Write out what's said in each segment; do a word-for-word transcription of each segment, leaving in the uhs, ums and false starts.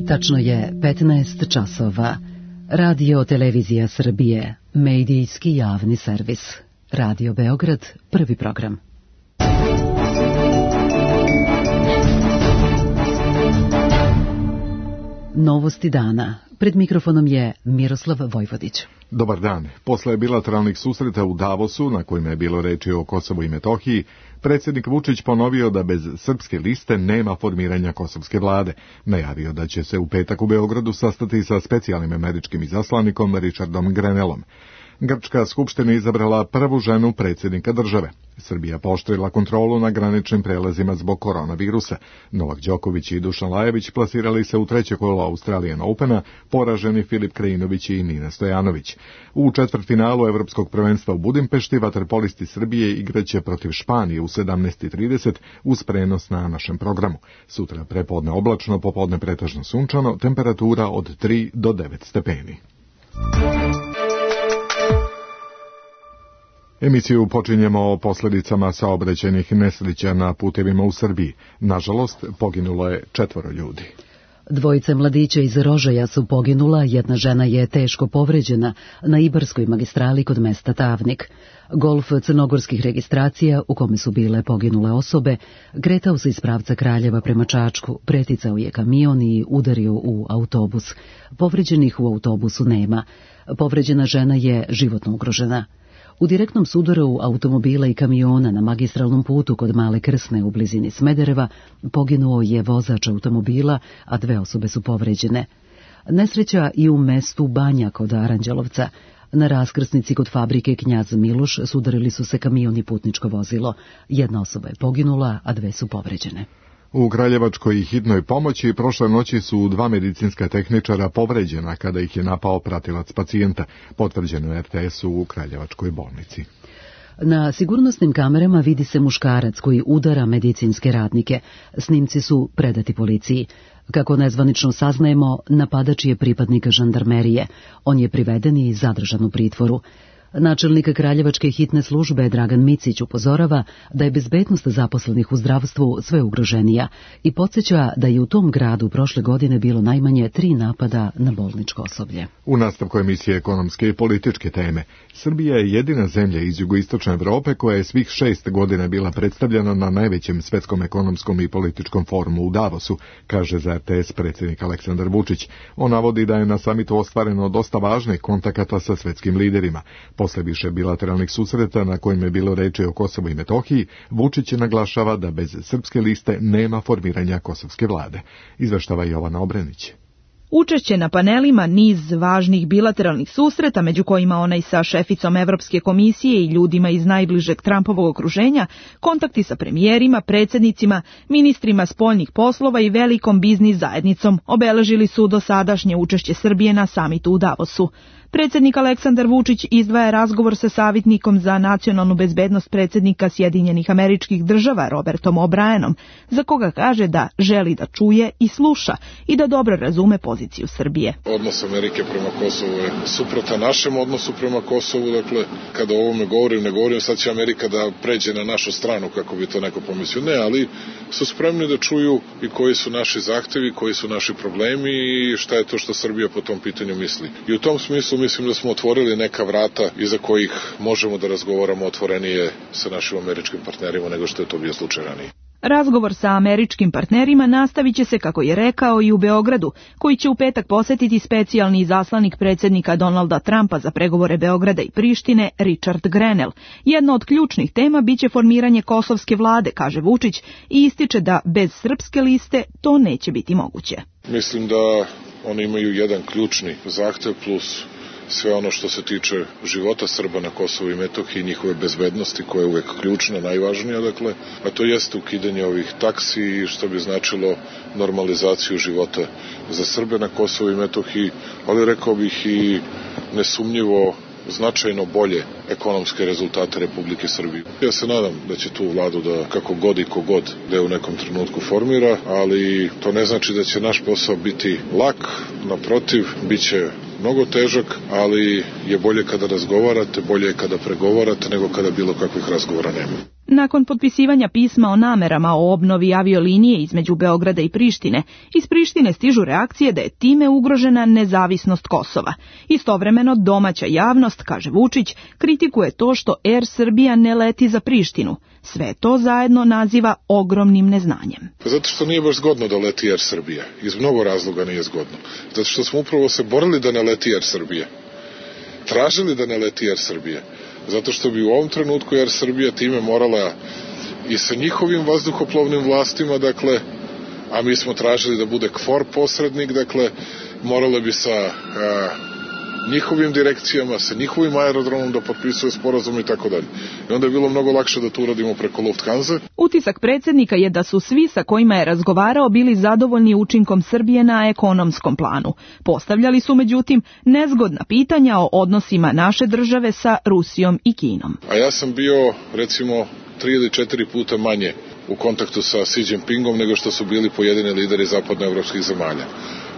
Tačno je petnaest časova. Radio Televizija Srbije, medijski javni servis. Radio Beograd, prvi program. Novosti dana. Pred mikrofonom je Miroslav Vojvodić. Dobar dan. Posle bilateralnih susreta u Davosu, na kojima je bilo reči o Kosovu i Metohiji, predsjednik Vučić ponovio da bez srpske liste nema formiranja kosovske vlade. Najavio da će se u petak u Beogradu sastati sa specijalnim američkim izaslanikom Richardom Grenellom. Grčka skupština izabrala prvu ženu predsjednika države. Srbija pooštrila kontrolu na graničnim prelazima zbog koronavirusa. Novak Đoković i Dušan Lajović plasirali se u treće kolo Australian Opena, poraženi Filip Krajinović i Nina Stojanović. U četvrtfinalu Evropskog prvenstva u Budimpešti vaterpolisti Srbije igraće protiv Španije u sedamnaest i trideset uz prenos na našem programu. Sutra prepodne oblačno, popodne pretežno sunčano, temperatura od tri do devet stepeni. Emisiju počinjemo o posljedicama saobraćajnih nesreća na putevima u Srbiji. Nažalost, poginulo je četvoro ljudi. Dvojice mladića iz Rožaja su poginula, jedna žena je teško povređena na Ibarskoj magistrali kod mesta Tavnik. Golf crnogorskih registracija, u kome su bile poginule osobe, kretao se iz pravca Kraljeva prema Čačku, preticao je kamion i udario u autobus. Povređenih u autobusu nema. Povređena žena je životno ugrožena. U direktnom sudaru automobila i kamiona na magistralnom putu kod Male Krsne u blizini Smedereva poginuo je vozač automobila, a dve osobe su povređene. Nesreća i u mestu Banja kod Aranđelovca. Na raskrsnici kod fabrike Knjaz Miloš sudarili su se kamion i putničko vozilo. Jedna osoba je poginula, a dve su povređene. U Kraljevačkoj hitnoj pomoći prošle noći su dva medicinska tehničara povređena kada ih je napao pratilac pacijenta, potvrđeno R T S-u u Kraljevačkoj bolnici. Na sigurnosnim kamerama vidi se muškarac koji udara medicinske radnike. Snimci su predati policiji. Kako nezvanično saznajemo, napadač je pripadnik žandarmerije. On je priveden i zadržan u pritvoru. Načelnik Kraljevačke hitne službe Dragan Micić upozorava da je bezbednost zaposlenih u zdravstvu sve ugroženija i podsjeća da je u tom gradu prošle godine bilo najmanje tri napada na bolničko osoblje. U nastavku emisije ekonomske i političke teme, Srbija je jedina zemlja iz jugoistočne Evrope koja je svih šest godina bila predstavljena na najvećem svetskom ekonomskom i političkom forumu u Davosu, kaže za R T S predsjednik Aleksandar Vučić. On navodi da je na samitu ostvareno dosta važnih kontakata sa svetskim liderima. Posle više bilateralnih susreta na kojima je bilo reči o Kosovu i Metohiji, Vučić naglašava da bez srpske liste nema formiranja kosovske vlade. Izveštava Jovana Obrenić. Učešće na panelima, niz važnih bilateralnih susreta, među kojima onaj sa šeficom Evropske komisije i ljudima iz najbližeg Trumpovog okruženja, kontakti sa premijerima, predsjednicima, ministrima spoljnih poslova i velikom biznis zajednicom obeležili su dosadašnje učešće Srbije na samitu u Davosu. Predsjednik Aleksandar Vučić izdvaja razgovor sa savjetnikom za nacionalnu bezbednost predsjednika Sjedinjenih Američkih Država Robertom O'Brienom, za koga kaže da želi da čuje i sluša i da dobro razume poziciju Srbije. Odnos Amerike prema Kosovu je suprotan našem odnosu prema Kosovu, dakle, kada o ovome govorim, ne govorim sad će Amerika da pređe na našu stranu, kako bi to neko pomislio, ne, ali su spremni da čuju i koji su naši zahtevi, koji su naši problemi i šta je to što Srbija po tom pitanju misli. I u tom smislu mislim da smo otvorili neka vrata iza kojih možemo da razgovaramo otvorenije sa našim američkim partnerima nego što je to bio slučaj ranije. Razgovor sa američkim partnerima nastavit će se, kako je rekao, i u Beogradu, koji će u petak posetiti specijalni izaslanik predsjednika Donalda Trumpa za pregovore Beograda i Prištine, Richard Grenell. Jedna od ključnih tema biće formiranje kosovske vlade, kaže Vučić, i ističe da bez srpske liste to neće biti moguće. Mislim da oni imaju jedan ključni zahtev plus sve ono što se tiče života Srba na Kosovu i Metohiji, njihove bezbednosti koja je uvek ključna, najvažnija, dakle, a to jeste ukidanje ovih taksi, što bi značilo normalizaciju života za Srbe na Kosovu i Metohiji, ali rekao bih i nesumnjivo značajno bolje ekonomske rezultate Republike Srbije. Ja se nadam da će tu vladu da kako god i kogod da je u nekom trenutku formira, ali to ne znači da će naš posao biti lak, naprotiv, bit će mnogo težak, ali je bolje kada razgovarate, bolje je kada pregovarate nego kada bilo kakvih razgovora nema. Nakon potpisivanja pisma o namerama o obnovi aviolinije između Beograda i Prištine, iz Prištine stižu reakcije da je time ugrožena nezavisnost Kosova. Istovremeno domaća javnost, kaže Vučić, kritikuje to što Air Srbija ne leti za Prištinu. Sve to zajedno naziva ogromnim neznanjem. Zato što nije baš zgodno da leti Air Srbija. Iz mnogo razloga nije zgodno. Zato što smo upravo se borili da ne leti Air Srbija. Tražili da ne leti Air Srbija. Zato što bi u ovom trenutku Air Srbija time morala i sa njihovim vazduhoplovnim vlastima, dakle, a mi smo tražili da bude KFOR posrednik, dakle, morala bi sa a, njihovim direkcijama, sa njihovim aerodromom da potpisuje sporazum i tako dalje. I onda je bilo mnogo lakše da to uradimo preko Lufthansa. Utisak predsjednika je da su svi sa kojima je razgovarao bili zadovoljni učinkom Srbije na ekonomskom planu. Postavljali su međutim nezgodna pitanja o odnosima naše države sa Rusijom i Kinom. A ja sam bio recimo tri ili četiri puta manje u kontaktu sa Xi Jinpingom nego što su bili pojedini lideri zapadnoevropskih zemalja.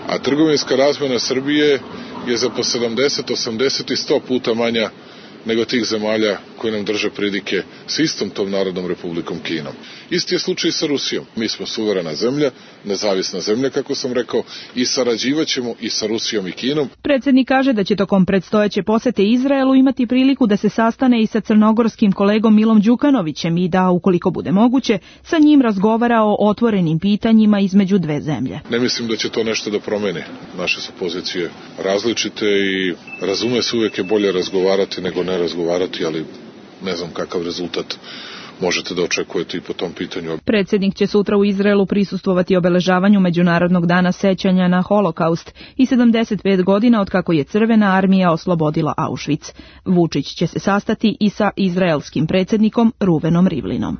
A trgovinska razmjena Srbije je za po sedamdeset, osamdeset i sto puta manja nego tih zemalja koji nam drže pridike s istom tom Narodnom Republikom Kinom. Isti je slučaj sa Rusijom. Mi smo suverena zemlja, nezavisna zemlja, kako sam rekao, i sarađivaćemo i sa Rusijom i Kinom. Predsjednik kaže da će tokom predstojeće posete Izraelu imati priliku da se sastane i sa crnogorskim kolegom Milom Đukanovićem i da, ukoliko bude moguće, sa njim razgovara o otvorenim pitanjima između dve zemlje. Ne mislim da će to nešto da promeni. Naše su pozicije različite i razume se, uvijek je bolje razgovarati nego ne razgovarati, ali ne znam kakav rezultat možete da očekujete i po tom pitanju. Predsjednik će sutra u Izraelu prisustvovati obeležavanju Međunarodnog dana sećanja na Holokaust i sedamdeset pet godina od kako je Crvena armija oslobodila Auschwitz. Vučić će se sastati i sa izraelskim predsjednikom Ruvenom Rivlinom.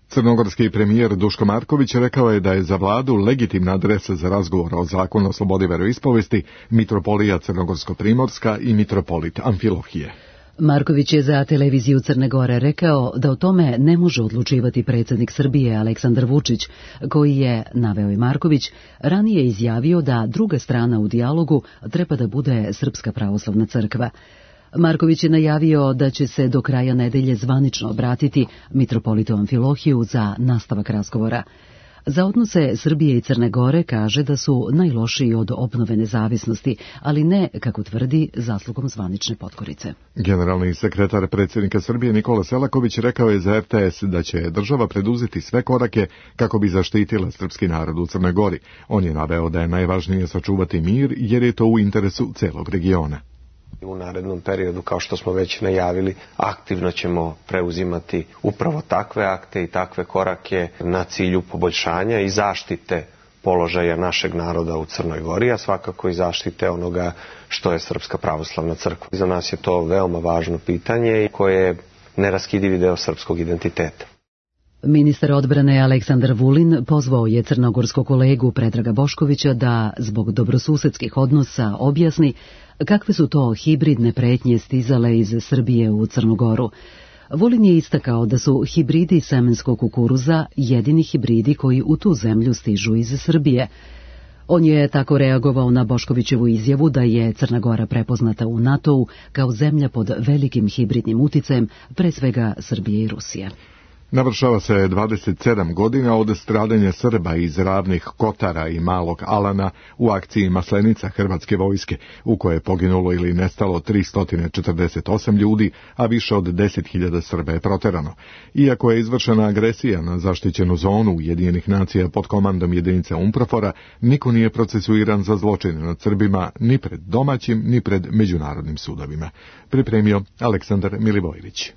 Crnogorski premijer Duško Marković rekao je da je za vladu legitimna adresa za razgovor o zakonu o slobodi veroispovesti mitropolija Crnogorsko-Primorska i mitropolit Amfilohije. Marković je za televiziju Crne Gore rekao da o tome ne može odlučivati predsjednik Srbije Aleksandar Vučić, koji je, naveo i Marković, ranije izjavio da druga strana u dijalogu treba da bude Srpska pravoslavna crkva. Marković je najavio da će se do kraja nedelje zvanično obratiti mitropolitu Amfilohiju za nastavak razgovora. Za odnose Srbije i Crne Gore kaže da su najlošiji od obnove nezavisnosti, ali ne, kako tvrdi, zaslugom zvanične potkorice. Generalni sekretar predsjednika Srbije Nikola Selaković rekao je za R T S da će država preduzeti sve korake kako bi zaštitila srpski narod u Crnoj Gori. On je naveo da je najvažnije sačuvati mir jer je to u interesu celog regiona. U narednom periodu, kao što smo već najavili, aktivno ćemo preuzimati upravo takve akte i takve korake na cilju poboljšanja i zaštite položaja našeg naroda u Crnoj Gori, a svakako i zaštite onoga što je Srpska pravoslavna crkva. Za nas je to veoma važno pitanje koje je neraskidivi deo srpskog identiteta. Ministar odbrane Aleksandar Vulin pozvao je crnogorskog kolegu Predraga Boškovića da zbog dobrosusedskih odnosa objasni kakve su to hibridne pretnje stizale iz Srbije u Crnu Goru. Vulin je istakao da su hibridi semenskog kukuruza jedini hibridi koji u tu zemlju stižu iz Srbije. On je tako reagovao na Boškovićevu izjavu da je Crna Gora prepoznata u NATO-u kao zemlja pod velikim hibridnim uticajem, pre svega Srbije i Rusije. Navršava se dvadeset sedam godina od stradanja Srba iz Ravnih Kotara i Malog Alana u akciji Maslenica hrvatske vojske, u kojoj je poginulo ili nestalo tristo četrdeset osam ljudi, a više od deset hiljada Srba je proterano. Iako je izvršena agresija na zaštićenu zonu Ujedinjenih nacija pod komandom jedinice UNPROFOR-a, niko nije procesuiran za zločine nad Srbima ni pred domaćim, ni pred međunarodnim sudovima. Pripremio Aleksandar Milivojević.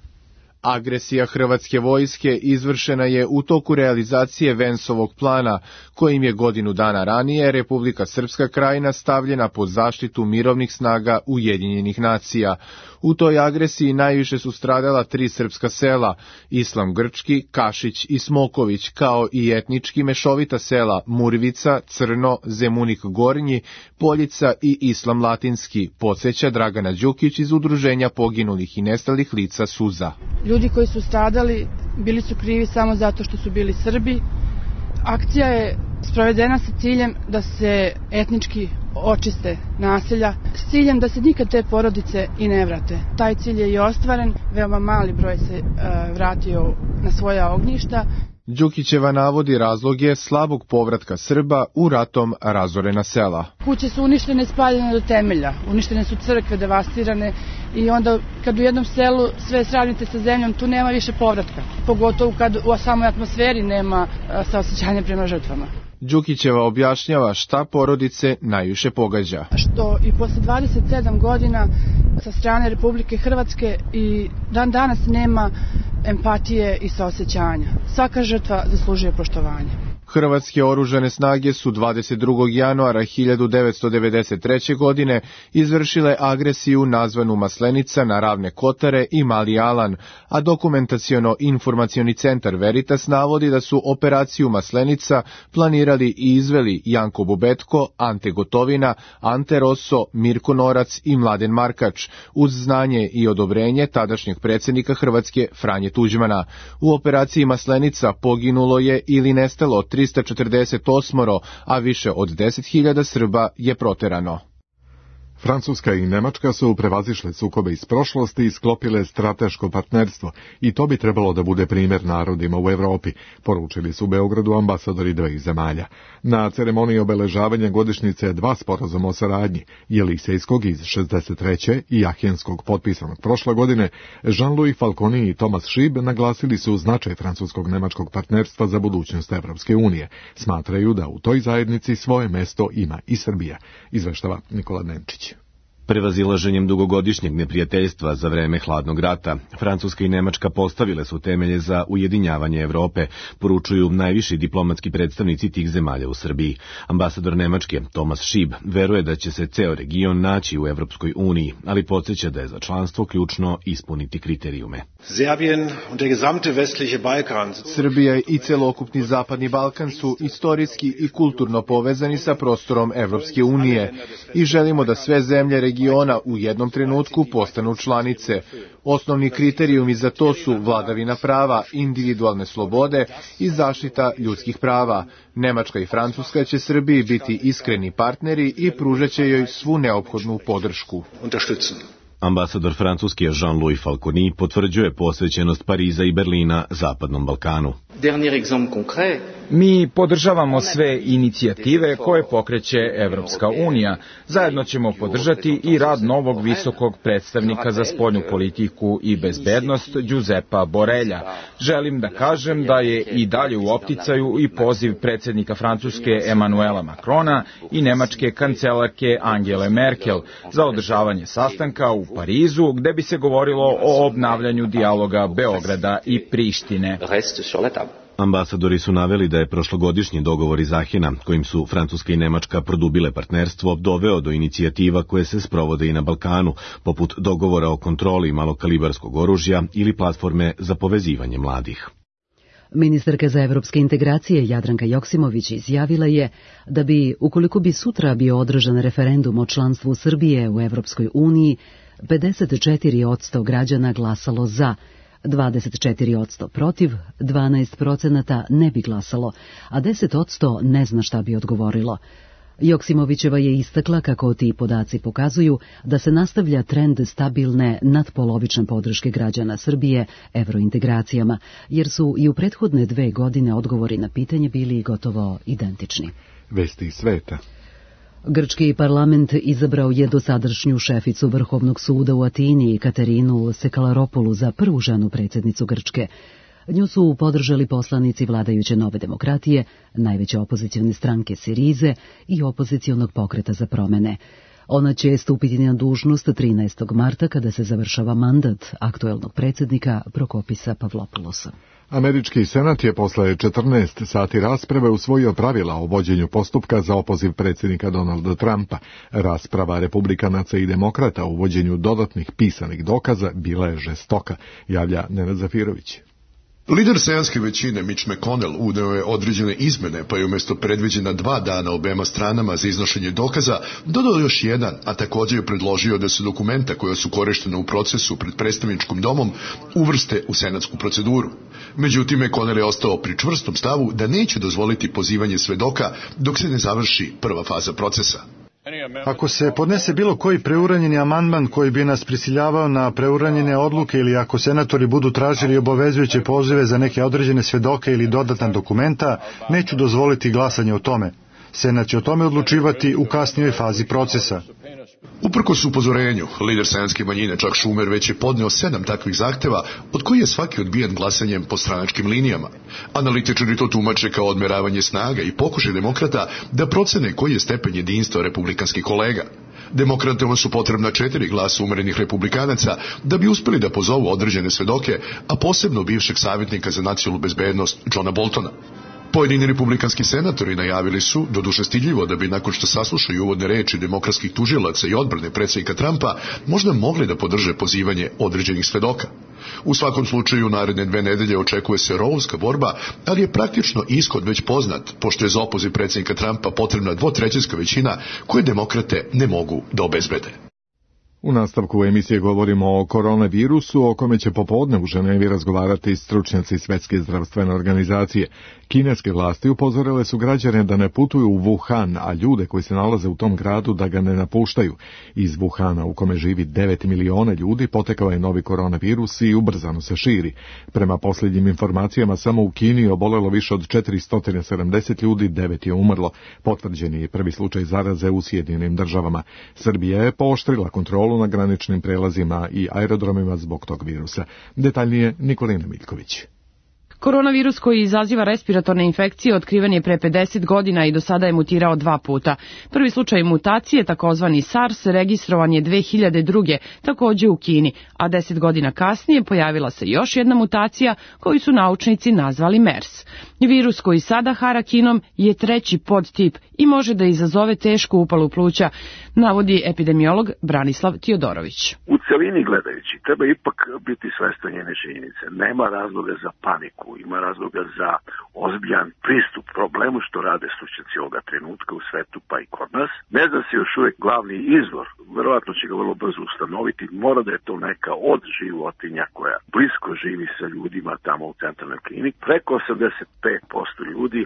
Agresija hrvatske vojske izvršena je u toku realizacije Vensovog plana, kojim je godinu dana ranije Republika Srpska Krajina stavljena pod zaštitu mirovnih snaga Ujedinjenih nacija. U toj agresiji najviše su stradala tri srpska sela, Islam Grčki, Kašić i Smoković, kao i etnički mešovita sela Murvica, Crno, Zemunik Gornji, Poljica i Islam Latinski, podsjeća Dragana Đukić iz Udruženja poginulih i nestalih lica Suza. Ljudi koji su stradali bili su krivi samo zato što su bili Srbi. Akcija je sprovedena sa ciljem da se etnički očiste naselja s ciljem da se nikad te porodice i ne vrate. Taj cilj je i ostvaren, veoma mali broj se e, vratio na svoja ognjišta. Đukićeva navodi razloge slabog povratka Srba u ratom razorena sela. Kuće su uništene, spaljene do temelja, uništene su crkve, devastirane i onda kad u jednom selu sve sravnite sa zemljom, tu nema više povratka. Pogotovo kad u samoj atmosferi nema saosećanja prema žrtvama. Đukićeva objašnjava šta porodice najviše pogađa. Što i posle dvadeset sedam godina sa strane Republike Hrvatske i dan danas nema empatije i saosećanja. Svaka žrtva zaslužuje poštovanje. Hrvatske oružane snage su dvadeset drugog januara hiljadu devetsto devedeset treće. godine izvršile agresiju nazvanu Maslenica na Ravne Kotare i Mali Alan, a dokumentaciono-informacioni centar Veritas navodi da su operaciju Maslenica planirali i izveli Janko Bubetko, Ante Gotovina, Ante Rosso, Mirko Norac i Mladen Markač, uz znanje i odobrenje tadašnjeg predsjednika Hrvatske Franje Tuđmana. U operaciji Maslenica poginulo je ili nestalo trista četrdeset osam, a više od deset hiljada Srba je proterano. Francuska i Nemačka su prevazišle sukobe iz prošlosti i sklopile strateško partnerstvo i to bi trebalo da bude primjer narodima u Evropi, poručili su u Beogradu ambasadori dveh zemalja. Na ceremoniji obeležavanja godišnjice dva sporazuma o saradnji, Jelisejskog iz šezdeset treće i Ahenskog potpisanog prošle godine, Jean-Louis Falconi i Thomas Schieb naglasili su značaj francuskog-nemačkog partnerstva za budućnost Evropske unije. Smatraju da u toj zajednici svoje mesto ima i Srbija, izveštava Nikola Nenčić. Prevazilaženjem dugogodišnjeg neprijateljstva za vreme hladnog rata, Francuska i Nemačka postavile su temelje za ujedinjavanje Evrope, poručuju najviši diplomatski predstavnici tih zemalja u Srbiji. Ambasador Nemačke, Thomas Schieb, veruje da će se ceo region naći u Evropskoj uniji, ali podsjeća da je za članstvo ključno ispuniti kriterijume. Srbija i celokupni Zapadni Balkan su istorijski i kulturno povezani sa prostorom Evropske unije i želimo da sve zemlje regiona u jednom trenutku postanu članice. Osnovni kriterijumi za to su vladavina prava, individualne slobode i zaštita ljudskih prava. Nemačka i Francuska će Srbiji biti iskreni partneri i pružat će joj svu neophodnu podršku. Ambasador Francuske Jean-Louis Falconi potvrđuje posvećenost Pariza i Berlina Zapadnom Balkanu. Mi podržavamo sve inicijative koje pokreće Evropska unija. Zajedno ćemo podržati i rad novog visokog predstavnika za spoljnu politiku i bezbednost Giuseppa Borrella. Želim da kažem da je i dalje u opticaju i poziv predsjednika Francuske Emmanuela Macrona i nemačke kancelarke Angele Merkel za održavanje sastanka u Parizu, gde bi se govorilo o obnavljanju dijaloga Beograda i Prištine. Ambasadori su naveli da je prošlogodišnji dogovor iz Ahena, kojim su Francuska i Nemačka produbile partnerstvo, doveo do inicijativa koje se sprovode i na Balkanu, poput dogovora o kontroli malokalibarskog oružja ili platforme za povezivanje mladih. Ministarka za evropske integracije Jadranka Joksimović izjavila je da bi, ukoliko bi sutra bio održan referendum o članstvu Srbije u Evropskoj uniji, pedeset četiri posto građana glasalo za, dvadeset četiri posto protiv, dvanaest procenata ne bi glasalo, a deset posto ne zna šta bi odgovorilo. Joksimovićeva je istakla kako ti podaci pokazuju da se nastavlja trend stabilne nadpolovične podrške građana Srbije evrointegracijama, jer su i u prethodne dve godine odgovori na pitanje bili gotovo identični. Vesti sveta. Grčki parlament izabrao je dosadašnju šeficu Vrhovnog suda u Atini, Katerinu Sekalaropulu, za prvu ženu predsjednicu Grčke. Nju su podržali poslanici vladajuće Nove demokratije, najveće opozicijone stranke Sirize i opozicijonog pokreta za promene. Ona će stupiti na dužnost trinaestog marta kada se završava mandat aktuelnog predsjednika Prokopisa Pavlopoulosa. Američki senat je posle četrnaest sati rasprave usvojio pravila o vođenju postupka za opoziv predsjednika Donalda Trumpa. Rasprava republikanaca i demokrata o uvođenju dodatnih pisanih dokaza bila je žestoka, javlja Nenad Zafirović. Lider senatske većine Mitch McConnell uneo je određene izmene, pa je umjesto predviđena dva dana obema stranama za iznošenje dokaza dodao još jedan, a također je predložio da se dokumenta koja su korištena u procesu pred predstavničkim domom uvrste u senatsku proceduru. Međutim, McConnell je ostao pri čvrstom stavu da neće dozvoliti pozivanje svedoka dok se ne završi prva faza procesa. Ako se podnese bilo koji preuranjeni amandman koji bi nas prisiljavao na preuranjene odluke ili ako senatori budu tražili obavezujuće pozive za neke određene svedoke ili dodatna dokumenta, neću dozvoliti glasanje o tome. Senat će o tome odlučivati u kasnijoj fazi procesa. Uprkos upozorenju, lider senatske manjine Chuck Schumer već je podneo sedam takvih zahteva, od koji je svaki odbijen glasanjem po stranačkim linijama. Analitičari to tumače kao odmeravanje snaga i pokušaj demokrata da procene koji je stepen jedinstva republikanskih kolega. Demokratima su potrebna četiri glasa umerenih republikanaca da bi uspeli da pozovu određene svedoke, a posebno bivšeg savjetnika za nacionalnu bezbednost Johna Boltona. Pojedini republikanski senatori najavili su, doduše stidljivo, da bi nakon što saslušaju uvodne reči demokratskih tužilaca i odbrane predsjednika Trumpa, možda mogli da podrže pozivanje određenih svedoka. U svakom slučaju, naredne dve nedelje očekuje se rovska borba, ali je praktično ishod već poznat, pošto je za opoziv predsjednika Trumpa potrebna dvotrećinska većina koje demokrate ne mogu da obezbede. U nastavku emisije govorimo o koronavirusu, o kome će popodne u Ženevi razgovarati stručnjaci Svetske zdravstvene organizacije. Kineske vlasti upozorile su građane da ne putuju u Wuhan, a ljude koji se nalaze u tom gradu da ga ne napuštaju. Iz Wuhana, u kome živi devet miliona ljudi, potekao je novi koronavirus i ubrzano se širi. Prema posljednjim informacijama, samo u Kini obolelo više od četiristo sedamdeset ljudi, devet je umrlo. Potvrđen je prvi slučaj zaraze u Sjedinjenim državama. Srbija je pooštrila kontrolu na graničnim prelazima i aerodromima zbog tog virusa. Detaljnije Nikolina Miljković. Koronavirus koji izaziva respiratorne infekcije otkriven je pre pedeset godina i do sada je mutirao dva puta. Prvi slučaj mutacije, takozvani SARS, registrovan je dve hiljade druge. takođe u Kini, a deset godina kasnije pojavila se još jedna mutacija koju su naučnici nazvali MERS. Virus koji sada hara Kinom je treći podtip i može da izazove tešku upalu pluća, navodi epidemiolog Branislav Tiodorović. U celini gledajući treba ipak biti svestan njene činjenice. Nema razloga za paniku, ima razloga za ozbiljan pristup problemu što rade stručnjaci ovoga trenutka u svetu pa i kod nas. Ne zna se još uvijek glavni izvor, verovatno će ga vrlo brzo ustanoviti, mora da je to neka od životinja koja blisko živi sa ljudima tamo u centralnoj kliniki. Preko osamdeset pet posto ljudi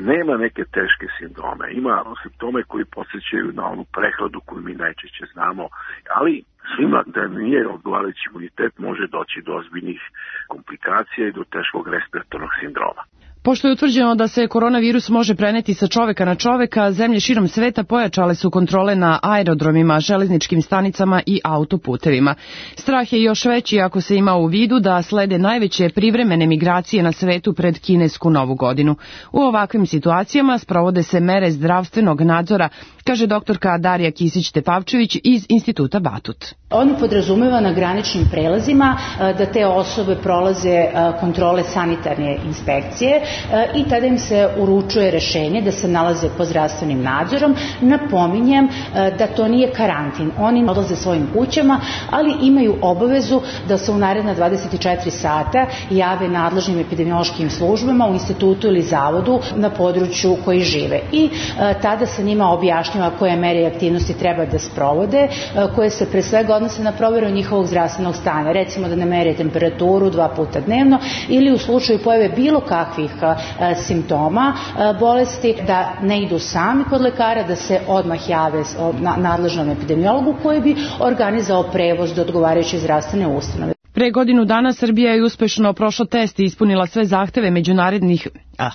nema neke teške sindrome, ima simptome koji podsjećaju na onu prehladu koju mi najčešće znamo, ali svima da nije odgovarajući imunitet može doći do ozbiljnih komplikacija i do teškog respiratornog sindroma. Pošto je utvrđeno da se koronavirus može preneti sa čoveka na čoveka, zemlje širom sveta pojačale su kontrole na aerodromima, železničkim stanicama i autoputevima. Strah je još veći ako se ima u vidu da slede najveće privremene migracije na svetu pred kinesku novu godinu. U ovakvim situacijama sprovode se mere zdravstvenog nadzora, kaže doktorka Darija Kisić-Tepavčević iz Instituta Batut. On podrazumeva na graničnim prelazima da te osobe prolaze kontrole sanitarne inspekcije i tada im se uručuje rešenje da se nalaze pod zdravstvenim nadzorom. Napominjem da to nije karantin. Oni odlaze svojim kućama, ali imaju obavezu da se u naredna dvadeset četiri sata jave nadležnim epidemiološkim službama u institutu ili zavodu na području koji žive. I tada se njima objašnjava koje mere i aktivnosti treba da sprovode, koje se pre svega odnose na proveru njihovog zdravstvenog stanja. Recimo da ne mere temperaturu dva puta dnevno ili u slučaju pojave bilo kakvih simptoma bolesti da ne idu sami kod lekara, da se odmah jave nadležnom epidemiologu koji bi organizao prevoz do odgovarajuće zdravstvene ustanove. Pre godinu dana Srbija je uspešno prošla test i ispunila sve zahteve međunarodnih ah.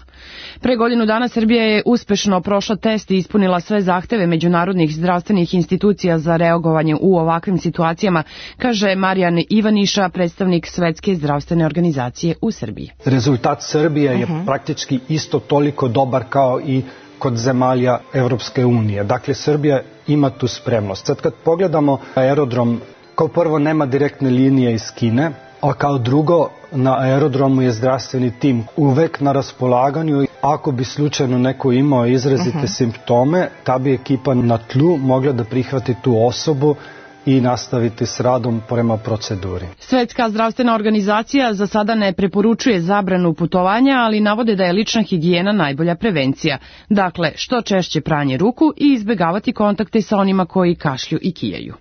Pre godinu dana Srbija je uspešno prošla test i ispunila sve zahteve međunarodnih zdravstvenih institucija za reagovanje u ovakvim situacijama, kaže Marijan Ivaniša, predstavnik Svetske zdravstvene organizacije u Srbiji. Rezultat Srbije je uh-huh. praktički isto toliko dobar kao i kod zemalja Evropske unije. Dakle, Srbija ima tu spremnost. Sad kad pogledamo aerodrom, kao prvo nema direktne linije iz Kine, a kao drugo na aerodromu je zdravstveni tim uvek na raspolaganju. Ako bi slučajno neko imao izrazite uh-huh. simptome, ta bi ekipa na tlu mogla da prihvati tu osobu i nastaviti s radom prema proceduri. Svetska zdravstvena organizacija za sada ne preporučuje zabranu putovanja, ali navode da je lična higijena najbolja prevencija. Dakle, što češće pranje ruku i izbegavati kontakte sa onima koji kašlju i kijaju.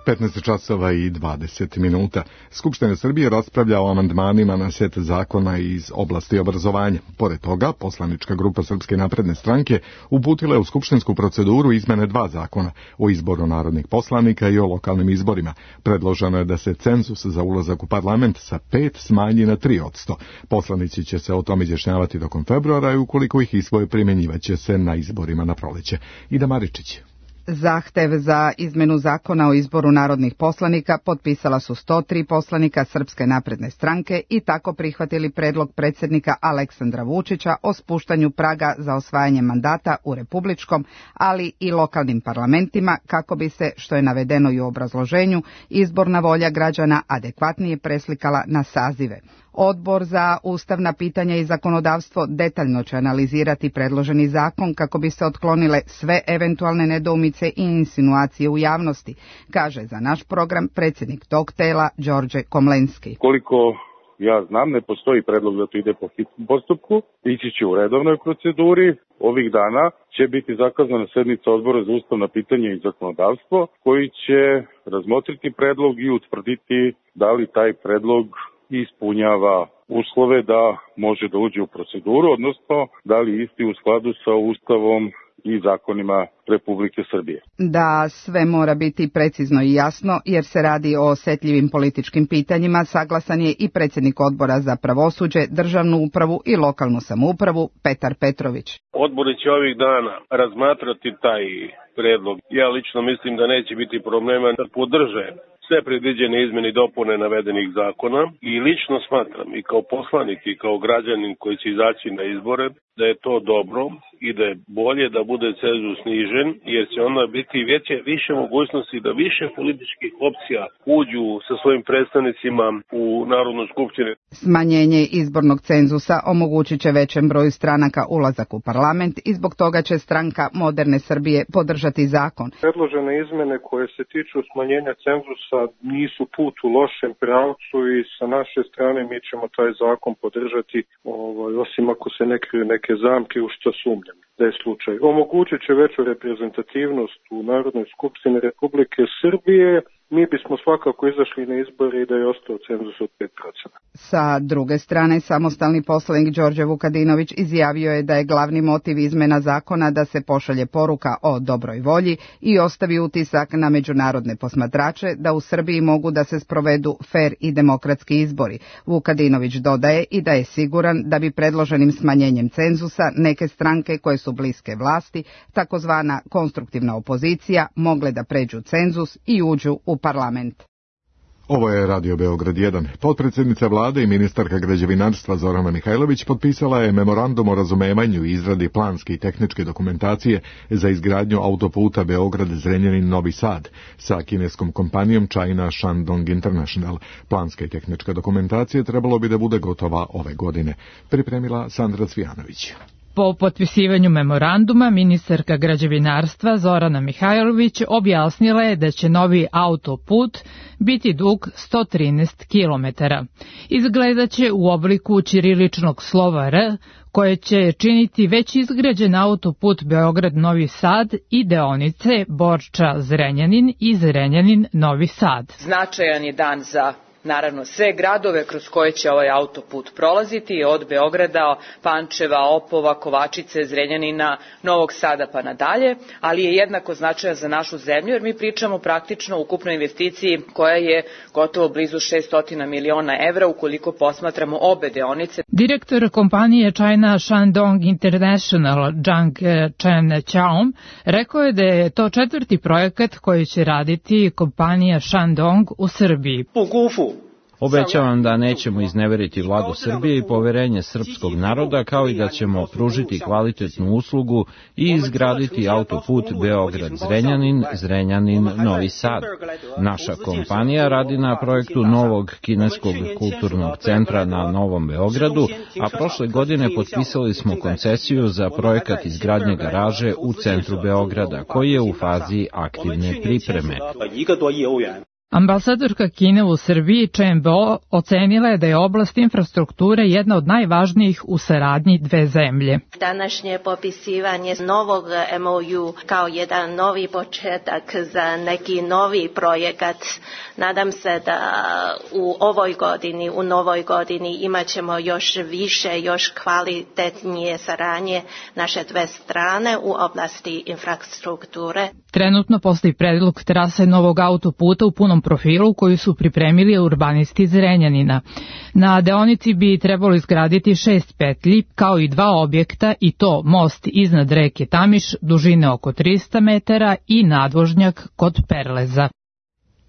petnaest časova i dvadeset minuta. Skupština Srbije raspravlja o amandmanima na set zakona iz oblasti obrazovanja. Pored toga, poslanička grupa Srpske napredne stranke uputila je u skupštinsku proceduru izmene dva zakona o izboru narodnih poslanika i o lokalnim izborima. Predloženo je da se cenzus za ulazak u parlament sa pet smanji na tri odsto. Poslanici će se o tom izjašnjavati tokom februara i ukoliko ih isvoje primjenjivaće se na izborima na proleće. Ida Maričić. Zahtev za izmenu zakona o izboru narodnih poslanika potpisala su sto tri poslanika Srpske napredne stranke i tako prihvatili predlog predsjednika Aleksandra Vučića o spuštanju praga za osvajanje mandata u republičkom, ali i lokalnim parlamentima kako bi se, što je navedeno i u obrazloženju, izborna volja građana adekvatnije preslikala na sazive. Odbor za ustavna pitanja i zakonodavstvo detaljno će analizirati predloženi zakon kako bi se otklonile sve eventualne nedoumice i insinuacije u javnosti, kaže za naš program predsjednik tog tela Đorđe Komlenski. Koliko ja znam, ne postoji predlog da to ide po hitnom postupku, ići će u redovnoj proceduri. Ovih dana će biti zakazana sednica Odbora za ustavna pitanja i zakonodavstvo koji će razmotriti predlog i utvrditi da li taj predlog ispunjava uslove da može da uđe u proceduru, odnosno da li isti u skladu sa Ustavom i zakonima Republike Srbije. Da sve mora biti precizno i jasno, jer se radi o osetljivim političkim pitanjima, saglasan je i predsjednik Odbora za pravosuđe, državnu upravu i lokalnu samoupravu Petar Petrović. Odbori će ovih dana razmatrati taj predlog. Ja lično mislim da neće biti problema da podrže sve predviđene izmene i dopune navedenih zakona i lično smatram i kao poslanik i kao građanin koji će izaći na izbore da je to dobro i da je bolje da bude cenzus snižen, jer će onda biti veće, više mogućnosti da više političkih opcija uđu sa svojim predstavnicima u Narodnu skupštinu. Smanjenje izbornog cenzusa omogućit će većem broju stranaka ulazak u parlament i zbog toga će stranka Moderne Srbije podržati zakon. Predložene izmene koje se tiču smanjenja cenzusa nisu put u lošem pravcu i sa naše strane mi ćemo taj zakon podržati, ovaj, osim ako se ne kriju neke zamke u što sumnjam da je slučaj. Omogućit će veću reprezentativnost u Narodnoj skupštini Republike Srbije. Mi bismo svakako izašli na izbore i da je ostao cenzus od pet posto. Sa druge strane, samostalni poslanik Đorđe Vukadinović izjavio je da je glavni motiv izmena zakona da se pošalje poruka o dobroj volji i ostavi utisak na međunarodne posmatrače da u Srbiji mogu da se sprovedu fer i demokratski izbori. Vukadinović dodaje i da je siguran da bi predloženim smanjenjem cenzusa neke stranke koje su bliske vlasti, takozvana konstruktivna opozicija, mogle da pređu cenzus i uđu u parlament. Ovo je Radio Beograd jedan. Potpredsjednica vlade i ministarka građevinarstva Zorana Mihajlović potpisala je memorandum o razumevanju i izradi planske i tehničke dokumentacije za izgradnju autoputa Beograd-Zrenjanin-Novi Sad sa kineskom kompanijom China Shandong International. Planska i tehnička dokumentacija trebalo bi da bude gotova ove godine. Pripremila Sandra Cvijanović. Po potpisivanju memoranduma, ministarka građevinarstva Zorana Mihajlović objasnila je da će novi autoput biti dug sto trinaest kilometara. Izgledaće u obliku ćiriličnog slova R, koje će činiti već izgrađen autoput Beograd-Novi Sad i deonice Borča-Zrenjanin i Zrenjanin-Novi Sad. Značajan je dan za naravno sve gradove kroz koje će ovaj autoput prolaziti, od Beograda, Pančeva, Opova, Kovačice, Zrenjanina, Novog Sada pa nadalje, ali je jednako značajan za našu zemlju jer mi pričamo praktično o ukupnoj investiciji koja je gotovo blizu šesto miliona evra ukoliko posmatramo obe deonice. Direktor kompanije China Shandong International Zhang Chen Chaom rekao je da je to četvrti projekat koji će raditi kompanija Shandong u Srbiji. Obećavam da nećemo izneveriti vladu Srbije i poverenje srpskog naroda, kao i da ćemo pružiti kvalitetnu uslugu i izgraditi autoput Beograd-Zrenjanin, Zrenjanin-Novi Sad. Naša kompanija radi na projektu novog kineskog kulturnog centra na Novom Beogradu, a prošle godine potpisali smo koncesiju za projekat izgradnje garaže u centru Beograda, koji je u fazi aktivne pripreme. Ambasadorka Kine u Srbiji Chen Bo ocenila je da je oblast infrastrukture jedna od najvažnijih u saradnji dve zemlje. Današnje popisivanje novog M O U kao jedan novi početak za neki novi projekat. Nadam se da u ovoj godini, u novoj godini imat ćemo još više, još kvalitetnije saradnje naše dve strane u oblasti infrastrukture. Trenutno postoji predlog trase novog autoputa u punom profilu koju su pripremili urbanisti iz Renjanina. Na deonici bi trebalo izgraditi šest petlji kao i dva objekta i to most iznad reke Tamiš dužine oko trista metara i nadvožnjak kod Perleza.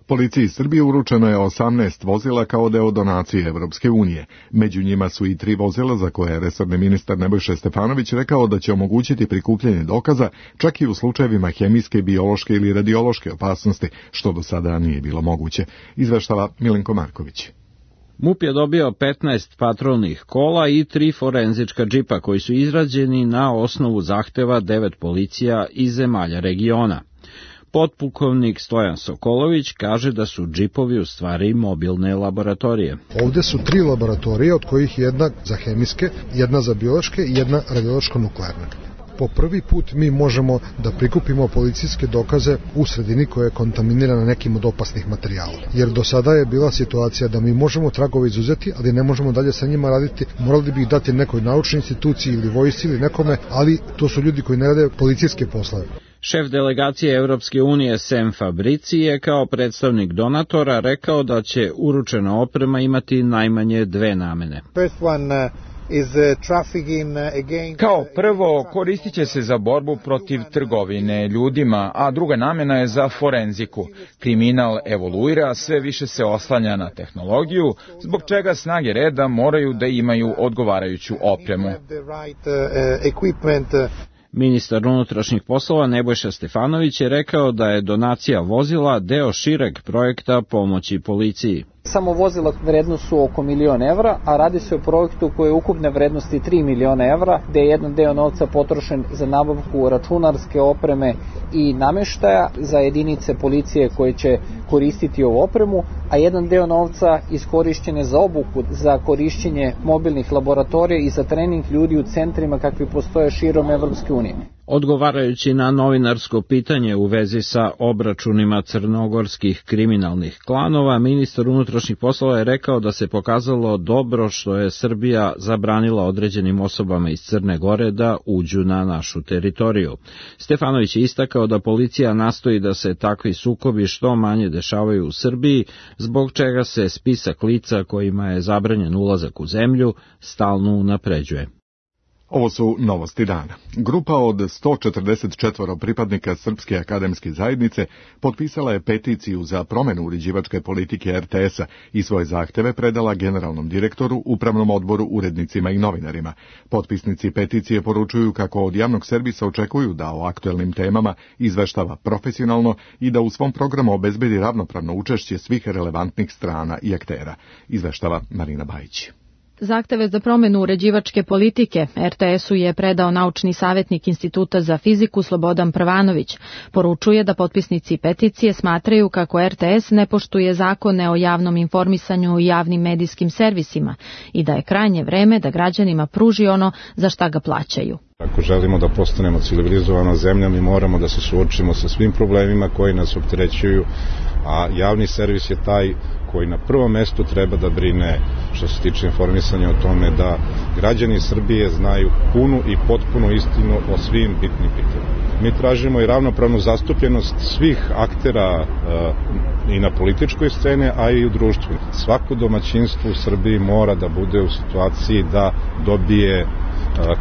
Policiji Srbije uručeno je osamnaest vozila kao deo donacije Evropske unije. Među njima su i tri vozila za koje je resorni ministar Nebojša Stefanović rekao da će omogućiti prikupljanje dokaza čak i u slučajevima hemijske, biološke ili radiološke opasnosti, što do sada nije bilo moguće, izveštava Milenko Marković. MUP je dobio petnaest patrolnih kola i tri forenzička džipa koji su izrađeni na osnovu zahteva devet policija iz zemalja regiona. Potpukovnik Stojan Sokolović kaže da su džipovi u stvari mobilne laboratorije. Ovde su tri laboratorije, od kojih jedna za hemijske, jedna za biološke i jedna radiološko-nuklearne. Po prvi put mi možemo da prikupimo policijske dokaze u sredini koja je kontaminirana nekim od opasnih materijala. Jer do sada je bila situacija da mi možemo tragove izuzeti, ali ne možemo dalje sa njima raditi. Morali bi ih dati nekoj naučnoj instituciji ili vojsci ili nekome, ali to su ljudi koji ne rade policijske poslove. Šef delegacije Evropske unije Sam Fabrici je kao predstavnik donatora rekao da će uručena oprema imati najmanje dve namene. Kao prvo, koristit će se za borbu protiv trgovine ljudima, a druga namena je za forenziku. Kriminal evoluira, sve više se oslanja na tehnologiju, zbog čega snage reda moraju da imaju odgovarajuću opremu. Ministar unutrašnjih poslova Nebojša Stefanović je rekao da je donacija vozila deo šireg projekta pomoći policiji. Samo vozila vrednost su oko milion evra, a radi se o projektu koji je ukupne vrednosti tri miliona evra, gde je jedan deo novca potrošen za nabavku računarske opreme i nameštaja za jedinice policije koje će koristiti ovu opremu, a jedan deo novca iskorišćen je za obuku, za korišćenje mobilnih laboratorija i za trening ljudi u centrima kakvi postoje širom Evropske unije. Odgovarajući na novinarsko pitanje u vezi sa obračunima crnogorskih kriminalnih klanova, ministar unutrašnjih poslova je rekao da se pokazalo dobro što je Srbija zabranila određenim osobama iz Crne Gore da uđu na našu teritoriju. Stefanović je istakao da policija nastoji da se takvi sukobi što manje dešavaju u Srbiji, zbog čega se spisak lica kojima je zabranjen ulazak u zemlju stalno unapređuje. Ovo su novosti dana. Grupa od sto četrdeset četiri pripadnika Srpske akademske zajednice potpisala je peticiju za promenu uređivačke politike R T S-a i svoje zahteve predala generalnom direktoru, upravnom odboru, urednicima i novinarima. Potpisnici peticije poručuju kako od javnog servisa očekuju da o aktuelnim temama izveštava profesionalno i da u svom programu obezbedi ravnopravno učešće svih relevantnih strana i aktera, izveštava Marina Bajić. Zahteve za promenu uređivačke politike R T S-u je predao naučni savjetnik Instituta za fiziku Slobodan Prvanović. Poručuje da potpisnici peticije smatraju kako R T S ne poštuje zakone o javnom informisanju i javnim medijskim servisima i da je krajnje vreme da građanima pruži ono za šta ga plaćaju. Ako želimo da postanemo civilizovana zemlja, mi moramo da se suočimo sa svim problemima koji nas opterećuju, a javni servis je taj koji na prvom mestu treba da brine što se tiče informisanja o tome da građani Srbije znaju punu i potpunu istinu o svim bitnim pitanjima. Mi tražimo i ravnopravnu zastupljenost svih aktera e, i na političkoj sceni, a i u društvu. Svako domaćinstvo u Srbiji mora da bude u situaciji da dobije e,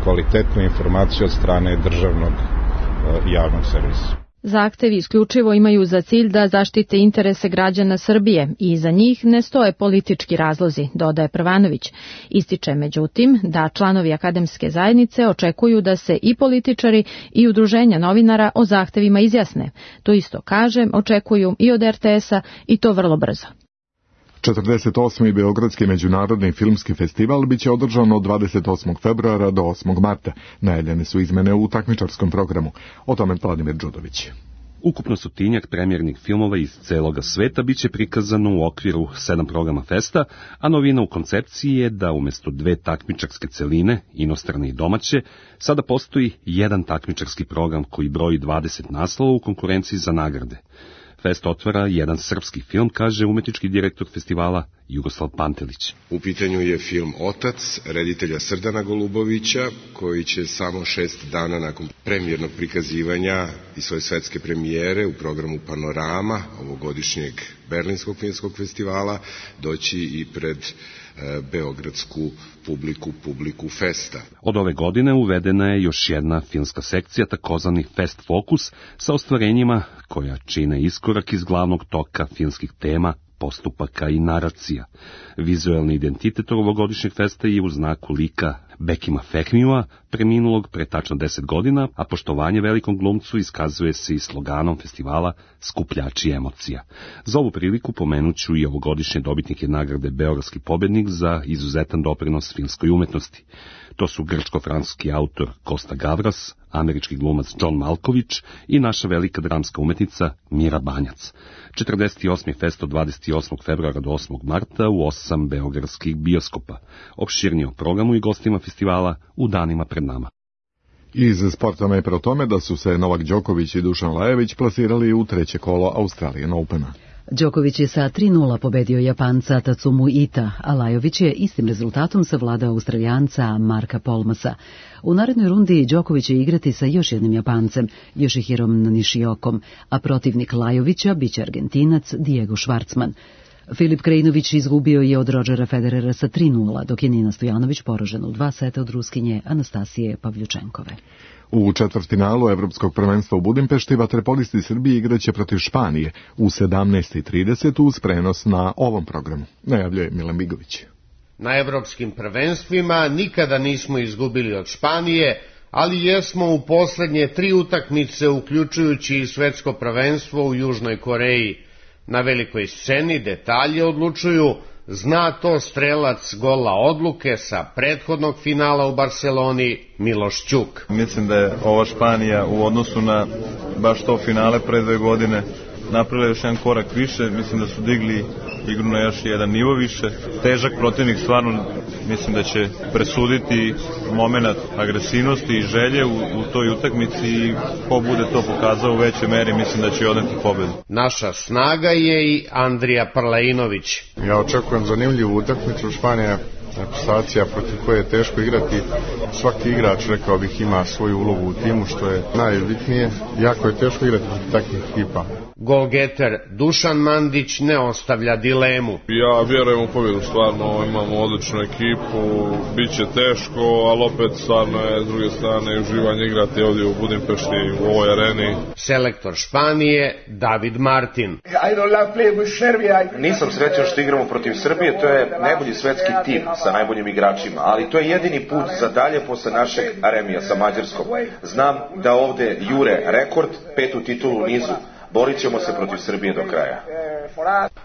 kvalitetnu informaciju od strane državnog e, javnog servisa. Zahtevi isključivo imaju za cilj da zaštite interese građana Srbije i za njih ne stoje politički razlozi, dodaje Prvanović. Ističe međutim da članovi akademske zajednice očekuju da se i političari i udruženja novinara o zahtevima izjasne. To isto kaže, očekuju i od R T S-a i to vrlo brzo. četrdeset osmi Beogradski međunarodni filmski festival biće održan od dvadeset osmog februara do osmog marta. Najavljene su izmene u takmičarskom programu. O tome Vladimir Đudović. Ukupno stotinjak premijernih filmova iz celoga sveta biće prikazano u okviru sedam programa festa, a novina u koncepciji je da umjesto dve takmičarske celine, inostrane i domaće, sada postoji jedan takmičarski program koji broji dvadeset naslova u konkurenciji za nagrade. Fest otvara jedan srpski film, kaže umetnički direktor festivala Jugoslav Pantelić. U pitanju je film Otac, reditelja Srdana Golubovića, koji će samo šest dana nakon premijernog prikazivanja i svoje svetske premijere u programu Panorama, ovogodišnjeg Berlinskog filmskog festivala, doći i pred e, beogradsku publiku, publiku festa. Od ove godine uvedena je još jedna filmska sekcija, takozvani Fest Focus, sa ostvarenjima koja čine iskorak iz glavnog toka filmskih tema, postupaka i naracija. Vizuelni identitet ovogodišnjeg festa je u znaku lika Bekima Fehmija, preminulog pre tačno deset godina, a poštovanje velikom glumcu iskazuje se i sloganom festivala Skupljači emocija. Za ovu priliku pomenuću i ovogodišnje dobitnike nagrade Beogradski pobednik za izuzetan doprinos filmskoj umetnosti. To su grčko-francuski autor Kosta Gavras, američki glumac John Malkovich i naša velika dramska umetnica Mira Banjac. četrdeset osmi fest od dvadeset osmog februara do osmog marta u osam beogradskih bioskopa. Opširnije o programu i gostima festivala u danima pred nama. Iz sporta najpre o tome da su se Novak Đoković i Dušan Lajović plasirali u treće kolo Australian Opena. Đoković je sa tri nula pobedio Japanca Tatsumu Ita, a Lajović je istim rezultatom savladao Australijanca Marka Polmasa. U narednoj rundi Đoković će igrati sa još jednim Japancem, Yoshihirom Nishiokom, a protivnik Lajovića biće Argentinac Diego Schwartzman. Filip Krajinović izgubio je od Rodgera Federera sa tri nula, dok je Nina Stojanović poražena u dva seta od Ruskinje Anastasije Pavljučenkove. U četvrtfinalu Evropskog prvenstva u Budimpešti vaterpolisti Srbije igraće protiv Španije u sedamnaest i trideset uz prenos na ovom programu, najavljuje Milan Bigović. Na evropskim prvenstvima nikada nismo izgubili od Španije, ali jesmo u poslednje tri utakmice, uključujući i svetsko prvenstvo u Južnoj Koreji. Na velikoj sceni detalje odlučuju, zna to strelac gola odluke sa prethodnog finala u Barseloni Miloš Ćuk. Mislim da je ova Španija u odnosu na baš to finale pre dve godine napravila još jedan korak više, mislim da su digli igru na još jedan nivo više. Težak protivnik, stvarno mislim da će presuditi moment agresivnosti i želje u, u toj utakmici i ko bude to pokazao u većoj meri, mislim da će odneti pobedu. Naša snaga je i Andrija Parlainović. Ja očekujem zanimljivu utakmicu. Španija reprezentacija protiv koje je teško igrati. Svaki igrač, rekao bih, ima svoju ulogu u timu, što je najbitnije. Jako je teško igrati protiv takvih ekipa. Golgeter Dušan Mandić ne ostavlja dilemu. Ja vjerujem u pobjedu, stvarno imamo odličnu ekipu, bit će teško, ali opet stvarno je s druge strane uživanje igrati ovdje u Budimpešti, u ovoj areni. Selektor Španije David Martin. Nisam srećan što igramo protiv Srbije, to je najbolji svetski tim sa najboljim igračima, ali to je jedini put za dalje posle našeg remija sa Mađarskom. Znam da ovde jure rekord, petu titulu u nizu. Borit ćemo se protiv Srbije do kraja.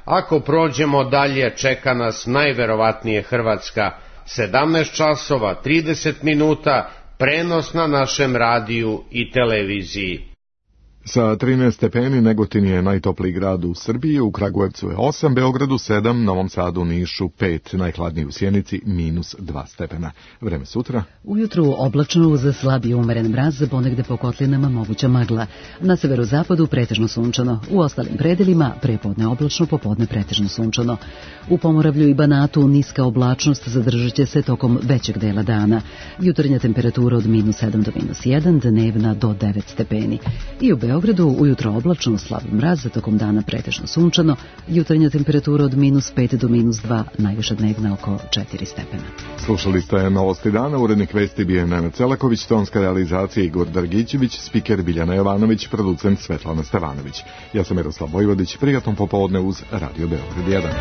Ako prođemo dalje, čeka nas najverovatnije Hrvatska. sedamnaest časova trideset minuta, prenos na našem radiju i televiziji. Sa trinaest stepeni Negotin je najtopliji grad u Srbiji, u Kragujevcu je osam, Beogradu sedam, Novom Sadu, Nišu pet, najhladniji u Sjenici minus dva stepena. Vreme sutra. Ujutru oblačno uz slabiji umeren mraz, ponegde po kotlinama moguća magla. Na severozapadu pretežno sunčano, u ostalim predelima prepodne oblačno, popodne pretežno sunčano. U Pomoravlju i Banatu niska oblačnost zadržat će se tokom većeg dela dana. Jutarnja temperatura od minus sedam do minus jedan, dnevna do devet stepeni. I u Beogradu ujutro oblačno, slab mraz, tokom dana pretežno sunčano, jutarnja temperatura od minus pet do minus dva, najviša dnevna oko četiri stepena. Slušali ste Novosti dana, urednik vesti bio je Nenad Celaković, tonska realizacija Igor Dargićević, spiker Biljana Jovanović, producent Svetlana Stevanović. Ja sam Miroslav Vojvodić, prijatno popodne uz Radio Beograd jedan.